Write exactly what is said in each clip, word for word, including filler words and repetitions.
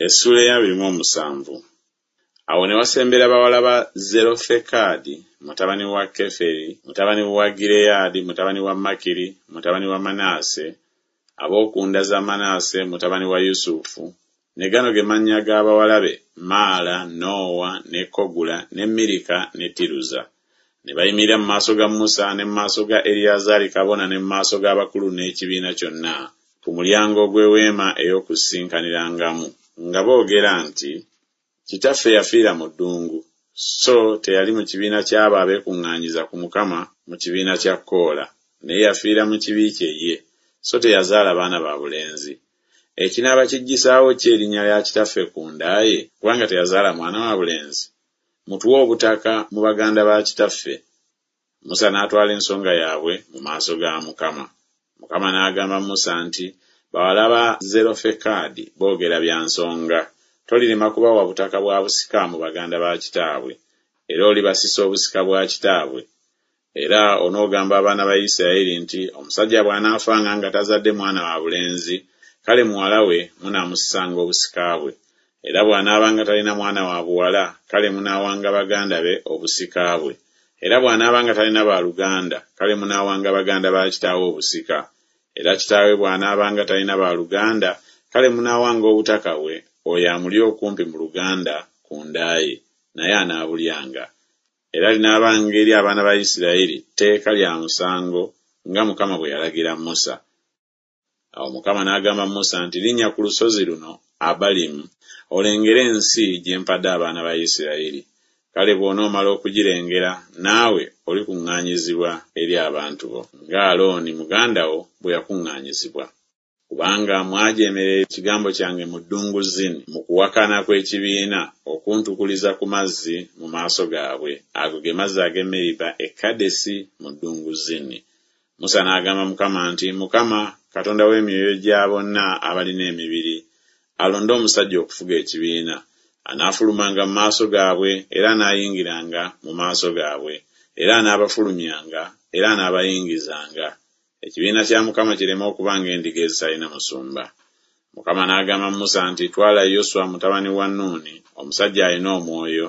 Essuula ey'abiri mu omusanvu. Awo ne wasembera bawala ba Zerofekadi, mutabani wa Keferi, mutabani wa Gireyaadi, mutabani wa Makiri, mutabani wa Manase, ab'oku nda za Manase, mutabani wa Yusufu, ne gano ge mannya g'abawala be: Maala, Noowa, ne Kogula, ne Mirika ne Tiruza. Ne bayimirira mu maaso ga Musa ne mu maaso ga Eriyazaali kabona ne mu maaso g'abakulu n'ekibiina kyonna ku mulyango gw'eweema ey'okusisinkanirangamu, nga boogera nti, Kitaffe yafiira mu ddungu, so teyali mu kibiina ky'abo abeekuŋŋaanyiza ku Mukama mu kibiina kya Koola, naye yafiira mu kibi kye ye, so teyazaala baana ba bulenzi. Ekinaaba kijjisaawo ki erinnya lya kitaffe ku nda ye, kubanga teyazaala mwana wa bulenzi? Mutuwe obutaka mu baganda ba kitaffe. Musa n'atwala ensonga yaabwe mu maaso ga Mukama. Mukama n'agamba Musa nti, Bawala ba Zerofekadi boogera bya nsonga. Tolirema kubawa butaka bwa busika mu baganda ba kitaabwe, era olibasisa obusika bwa kitaabwe. Era onoogamba abaana ba Isirayiri nti, Omusajja bw'anaafanga nga tazadde mwana wa bulenzi, kale muwala we munaamusisanga obusika bwe. Era bw'anaabanga talina mwana wa buwala, kale munaawanga baganda be obusika bwe. Era bw'anaabanga talina baaluganda, kale munaawanga baganda ba kitaawe obusika. Era kitaawe bw'anaabanga talina baaluganda, kale munaawanga obutaka bwe oyo amuli okumpi mu luganda ku nda ye, naye anaabulyanga. Era linaabanga eri abaana ba Isirayiri tteeka lya musango, nga Mukama bwe yalagira Musa. Awo Mukama n'agamba Musa nti, Linnya ku lusozi luno Abalimu, olengere ensi gye mpadde abaana ba Isirayiri. Kale bw'onoomala okugirengera, naawe olikuŋŋaanyizibwa eri abantu bo, nga Alooni muganda wo bwe yakuŋŋaanyizibwa. Kubanga mwajeemerera ekigambo kyange mu ddungu Zini, mu kuwakana kw'ekibiina, okuntukuliza ku mazzi mu maaso gaabwe. Ago ge mazzi ag'e Meriba e Kadesi mu ddungu Zini. Musa n'agamba Mukama nti, Mukama, Katonda w'emyoyo gya bonna abalina emibiri, alonde omusajja okufuga ekibiina. Anaafulumanga mu maaso gaabwe, era anaayingiranga mu maaso gaabwe, era anaabafulumyanga, era anaabayingizanga. Ekibiina kya Mukama kireme okuba ng'endiga ezitalina musumba. Mukama n'agamba Musa nti, Twala Yoswa mutabani wa Nuuni, omusajja alina omwoyo,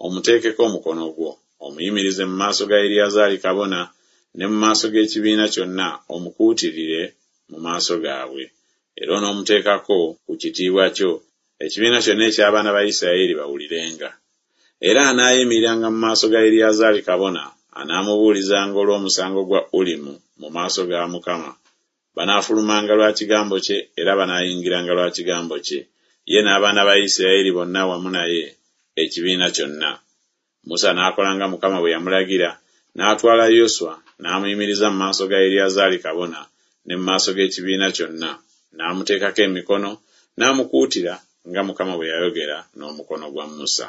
omuteekeko omukono gwo, omuyimirize mu maaso ga Eriyazaali kabona ne mu maaso g'ekibiina kyonna, omukuutirire mu maaso gaabwe. Era onoomuteekako ku kitiibwa kyo, ekibiina kyonna eky'abaana ba Isirayiri bawulirenga. Era anaayimiriranga mu maaso ga Eriyazaali kabona, anaamubuulizanga olw'omusango gwa Ulimu mu maaso ga Mukama. Banaafulumanga lwa kigambo kye, era banaayingiranga lwa kigambo kye, ye n'abaana ba Isirayiri bonna wamu naye, ekibiina kyonna. Musa n'akola nga Mukama bwe yamulagira, n'atwala Yoswa, n'amuyimiriza mu maaso ga Eriyazaali kabona ne mu maaso g'ekibiina kyonna, n'amuteekako emikono, n'amukuutira nga Mukama bwe yayogera n'omukono gwa Musa.